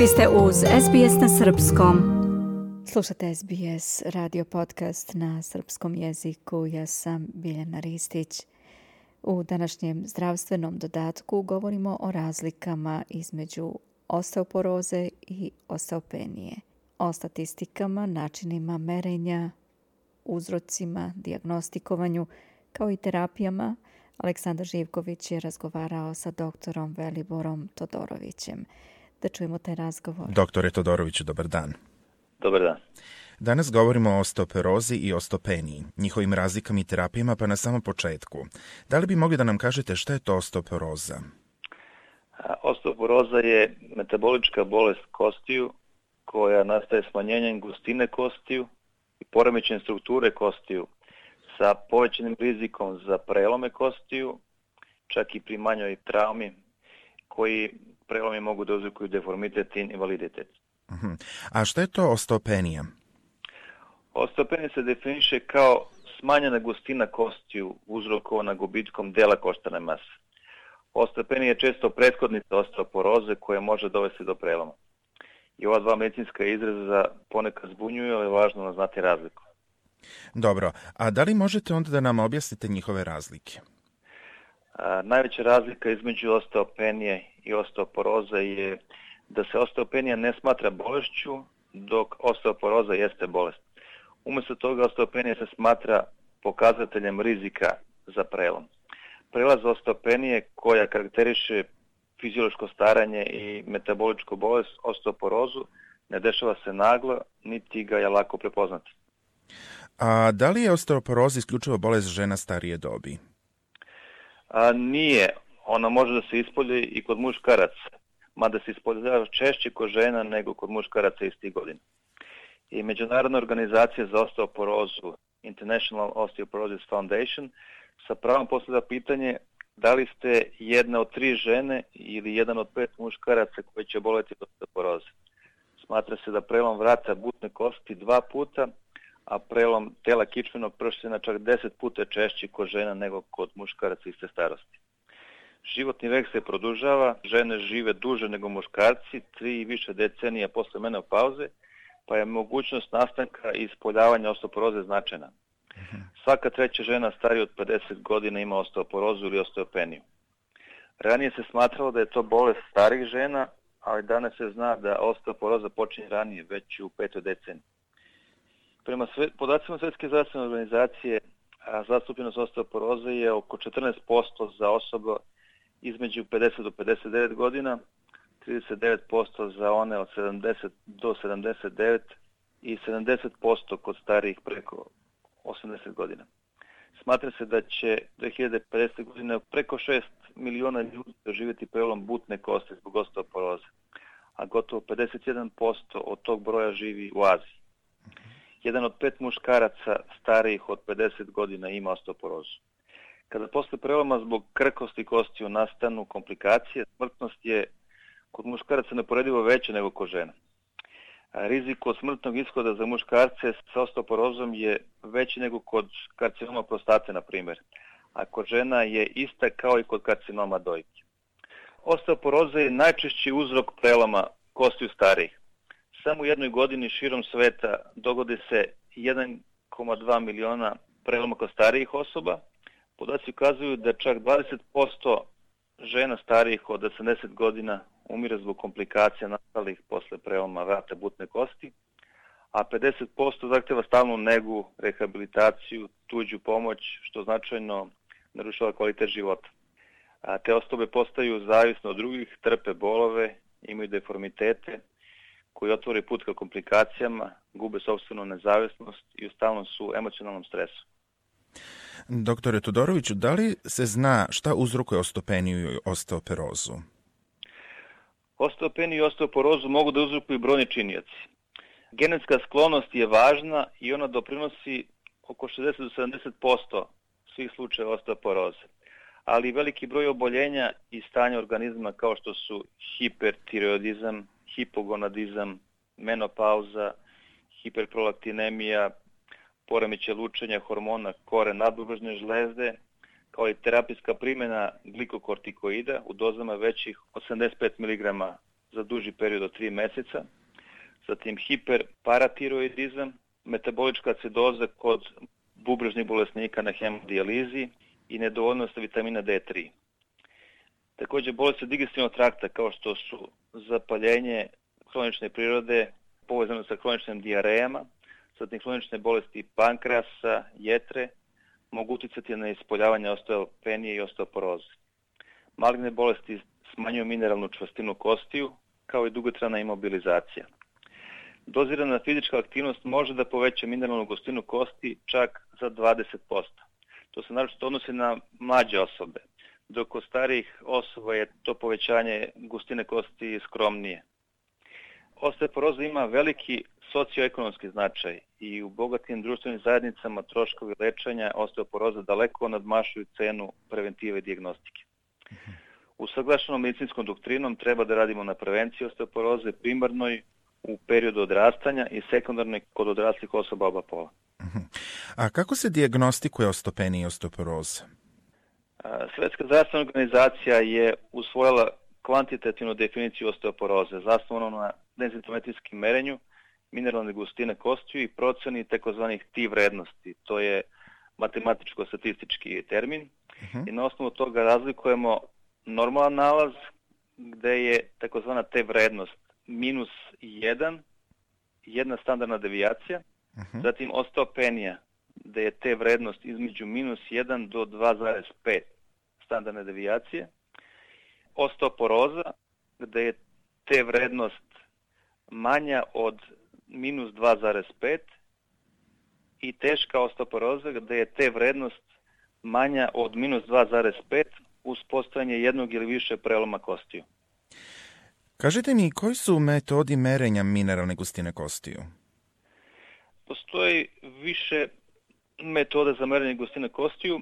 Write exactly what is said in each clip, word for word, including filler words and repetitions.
Vi ste uz S B S na srpskom. Slušate S B S radio podcast na srpskom jeziku. Ja sam Biljana Ristić. U današnjem zdravstvenom dodatku govorimo o razlikama između osteoporoze i osteopenije, o statistikama, načinima merenja, uzrocima, dijagnostikovanju, kao i terapijama. Aleksandar Živković je razgovarao sa doktorom Veliborom Todorovićem. Da čujemo taj razgovor. Doktore Todoroviću, dobar dan. Dobar dan. Danas govorimo o osteoporozi i osteopeniji, njihovim razlikama i terapijama, pa na samom početku. Da li bi mogli da nam kažete šta je to osteoporoza? Osteoporoza je metabolička bolest kostiju koja nastaje smanjenjem gustine kostiju i poremećenjem strukture kostiju sa povećanim rizikom za prelome kostiju, čak i pri manjoj traumi, koji prelomi mogu da uzrokuju deformitet i invaliditet. Uh-huh. A šta je to osteopenija? Osteopenija se definiše kao smanjena gustina kostiju uzrokovana gubitkom dela koštane mase. Osteopenija je često prethodnica osteoporoze koja može dovesti do preloma. I ova dva medicinska izraza ponekad zbunjuju, ali je važno znati razliku. Dobro, a da li možete onda da nam objasnite njihove razlike? A, najveća razlika između osteopenije i osteoporoze je da se osteopenija ne smatra bolešću, dok osteoporoza jeste bolest. Umjesto toga osteopenija se smatra pokazateljem rizika za prelom. Prelaz osteopenije koja karakteriše fiziološko staranje i metaboličku bolest, osteoporozu, ne dešava se naglo, niti ga je lako prepoznati. A da li je osteoporoza isključivo bolest žena starije dobi? A, nije. Ona može da se ispolji i kod muškaraca, mada se ispoljava češće kod žena nego kod muškaraca istih godina. I Međunarodna organizacija za osteoporozu, International Osteoporosis Foundation, sa pravom postavlja pitanje da li ste jedna od tri žene ili jedan od pet muškaraca koji će boleti od osteoporoze. Smatra se da prelom vrata butne kosti dva puta, a prelom tela kičmenog prština čak deset puta češći kod žena nego kod muškaraca iste starosti. Životni vek se produžava, žene žive duže nego muškarci, tri i više decenija posle menopauze, pa je mogućnost nastanka i ispoljavanja osteoporoze značajna. Svaka treća žena starija od pedeset godina ima osteoporozu ili osteopeniju. Ranije se smatralo da je to bolest starih žena, ali danas se zna da osteoporoza počinje ranije, već u petoj deceniji. Prema sve, podacima Svjetske zdravstvene organizacije, zastupljenost osteoporoze je oko četrnaest posto za osobe između pedeset do pedeset devet godina, trideset devet posto za one od sedamdeset do sedamdeset devet i sedamdeset posto kod starijih preko osamdeset godina. Smatra se da će dve hiljade pedesete. godine preko šest miliona ljudi doživjeti prelom butne kosti zbog osteoporoze, a gotovo pedeset jedan posto od tog broja živi u Aziji. Jedan od pet muškaraca starijih od pedeset godina ima osteoporozu. Kada posle preloma zbog krhkosti kostiju nastanu komplikacije, smrtnost je kod muškaraca neuporedivo veća nego kod žena. Rizik od smrtnog ishoda za muškarce sa osteoporozom je veći nego kod karcinoma prostate, na primjer, a kod žena je ista kao i kod karcinoma dojke. Osteoporoza je najčešći uzrok preloma kostiju starijih. Samo u jednoj godini širom sveta dogodi se jedan zarez dva miliona preloma kod starijih osoba. Podaci ukazuju da čak dvadeset posto žena starijih od osamdeset godina umire zbog komplikacija nastalih posle preloma vrata butne kosti, a pedeset posto zahteva stalnu negu, rehabilitaciju, tuđu pomoć, što značajno narušava kvalitet života. A te osobe postaju zavisne od drugih, trpe bolove, imaju deformitete koji otvore put ka komplikacijama, gube sopstvenu nezavisnost i u stalnom su emocionalnom stresu. Doktore Todoroviću, da li se zna šta uzrokuje osteopeniju i osteoporozu? Osteopeniju i osteoporozu mogu da uzrokuju brojni činioci. Genetska sklonost je važna i ona doprinosi oko šezdeset do sedamdeset posto svih slučajeva osteoporoze, ali veliki broj oboljenja i stanja organizma kao što su hipertireoidizam, hipogonadizam, menopauza, hiperprolaktinemija, poremećaj lučenja hormona kore nadbubrежne žlezde, kao i terapijska primjena glikokortikoida u dozama većih osamdeset pet miligrama za duži period od tri meseca, zatim hiperparatiroidizam, metabolička acidoza kod bubrežnih bolesnika na hemodijalizi i nedovoljnost vitamina D tri. Također bolesti digestivnog trakta kao što su zapaljenje hronične prirode povezano sa hroničnim dijarejama, zatim hronične bolesti pankreasa, jetre, mogu uticati na ispoljavanje osteopenije i osteoporoze. Maligne bolesti smanjuju mineralnu čvrstinu kostiju, kao i dugotrajna imobilizacija. Dozirana fizička aktivnost može da poveća mineralnu gustinu kosti čak za dvadeset posto. To se naročito odnosi na mlađe osobe, dok kod starijih osoba je to povećanje gustine kosti skromnije. Osteoporoza ima veliki socioekonomski značaj i u bogatim društvenim zajednicama troškovi lečenja osteoporoza daleko nadmašuju cenu preventive i dijagnostike. Usaglašenom medicinskom doktrinom treba da radimo na prevenciji osteoporoze primarnoj u periodu odrastanja i sekundarnoj kod odraslih osoba oba pola. A kako se dijagnostikuje osteopenija i osteoporoza? Svetska zdravstvena organizacija je usvojila kvantitativnu definiciju osteoporoze, zasnovanu na densitometrijskim merenju mineralne gustine kostiju i proceni takozvanih T vrednosti. To je matematičko-statistički termin. Uh-huh. I na osnovu toga razlikujemo normalan nalaz, gde je takozvana T vrednost minus jedan, jedna standardna devijacija, uh-huh. Zatim osteopenija, gde je T vrednost između minus jedan do dva zarez pet standardne devijacije, osteoporoza, gde je T vrednost manja od minus dva zarez pet i teška osteoporoza, gde je T vrednost manja od minus dva zarez pet uz postojanje jednog ili više preloma kostiju. Kažite mi, koji su metodi merenja mineralne gustine kostiju? Postoji više metoda za merenje gustine kostiju.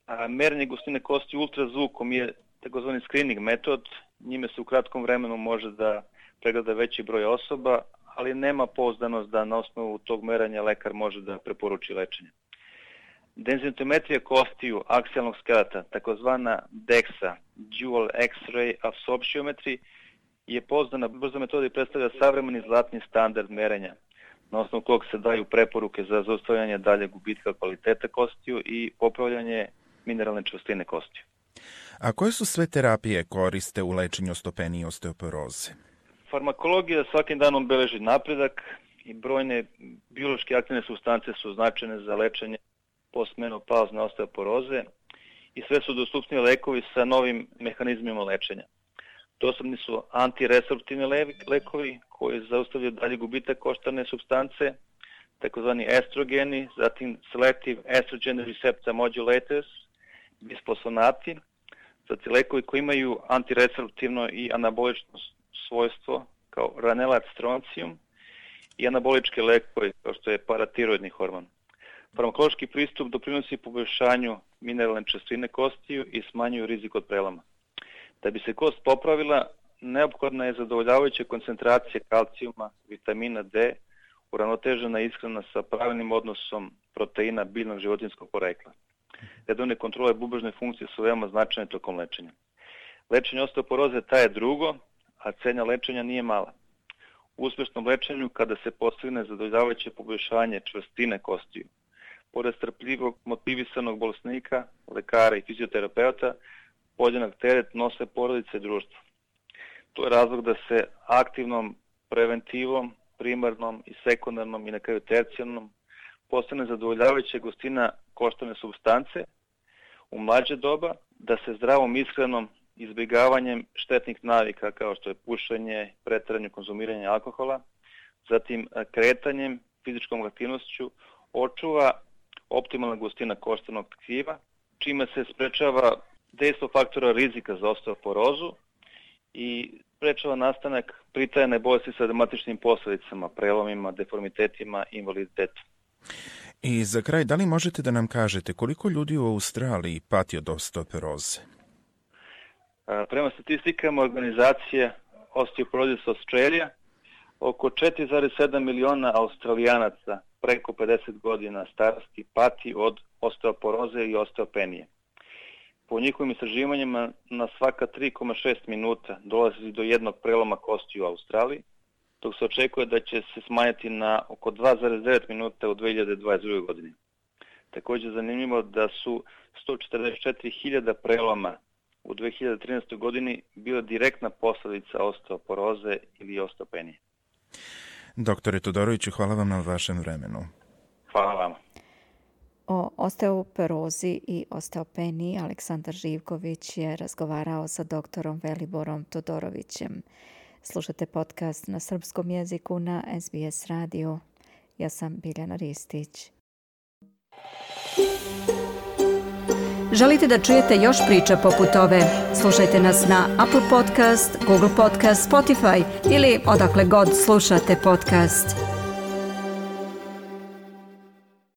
A merenje gustine kostiju ultrazvukom je takozvani screening metod. Njime se u kratkom vremenu može da pregleda veći broj osoba, ali nema pouzdanost da na osnovu tog merenja lekar može da preporuči lečenje. Denzitometrija kostiju aksijalnog skeleta, takozvana DEXA, Dual X-ray Absorptiometry, je pouzdana brza metoda i predstavlja savremeni zlatni standard merenja, na osnovu kog se daju preporuke za zaustavljanje dalje gubitka kvalitete kostiju i popravljanje mineralne čvrstine kostiju. A koje su sve terapije koriste u lečenju osteopenije i osteoporoze? Farmakologija svakim danom beleži napredak i brojne biološki aktivne supstance su značajne za lečenje postmenopauzne osteoporoze i sve su dostupniji lekovi sa novim mehanizmima lečenja. Dostupni su antiresorptivni lekovi koji zaustavljaju dalje gubitak koštane supstance, takozvani estrogeni, zatim selective estrogen receptor modulators, bisfosfonati, zatim lekovi koji imaju antiresorptivno i anabolično svojstvo kao ranelat stroncijum i anaboličke lekovi kao što je paratiroidni hormon. Farmakološki pristup doprinosi poboljšanju mineralne čvrstine kostiju i smanjuju rizik od preloma. Da bi se kost popravila, neophodna je zadovoljavajuća koncentracija kalcijuma, vitamina D, uravnotežena ishrana sa pravilnim odnosom proteina biljnog životinjskog porekla. Redovne kontrole bubrežne funkcije su veoma značajne tokom lečenja. Lečenje osteoporoze traje drugo, a cena lečenja nije mala. U uspešnom lečenju, kada se postigne zadovoljavajuće poboljšanje čvrstine kostiju, pored strpljivog motivisanog bolesnika, lekara i fizioterapeuta, podjednak teret nose porodice i društvo. To je razlog da se aktivnom preventivom, primarnom i sekundarnom i na kraju tercijarnom postane zadovoljavajuća gustina koštane supstance u mlađe doba, da se zdravom ishranom, izbjegavanjem štetnih navika kao što je pušenje, preteranje, konzumiranje alkohola, zatim kretanjem, fizičkom aktivnošću očuva optimalna gustina koštanog tkiva, čime se sprečava dejstvo faktora rizika za osteoporozu i sprečava nastanak pritajene bolesti sa dramatičnim posljedicama, prelomima, deformitetima i invaliditetom. I za kraj, da li možete da nam kažete koliko ljudi u Australiji pati od osteoporoze? Prema statistikama organizacije Osteoporosis Australia, oko četiri zarez sedam miliona Australijanaca preko pedeset godina starosti pati od osteoporoze i osteopenije. Po njihovim istraživanjima na svaka tri zarez šest minuta dolazi do jednog preloma kosti u Australiji, dok se očekuje da će se smanjiti na oko dva zarez devet minuta u dve hiljade dvadeset druge. godini. Također zanimljivo da su sto četrdeset četiri hiljade preloma u dve hiljade trinaestoj. godini bila direktna posljedica osteoporoze ili osteopenije. Doktore Todoroviću, hvala vam na vašem vremenu. Hvala vam. O osteoporozi i osteopeniji Aleksandar Živković je razgovarao sa doktorom Veliborom Todorovićem. Slušate podcast na srpskom jeziku na S B S radiju. Ja sam Biljana Ristić. Želite da čujete još priča poput ove? Slušajte nas na Apple Podcast, Google Podcast, Spotify ili odakle god slušate podcast.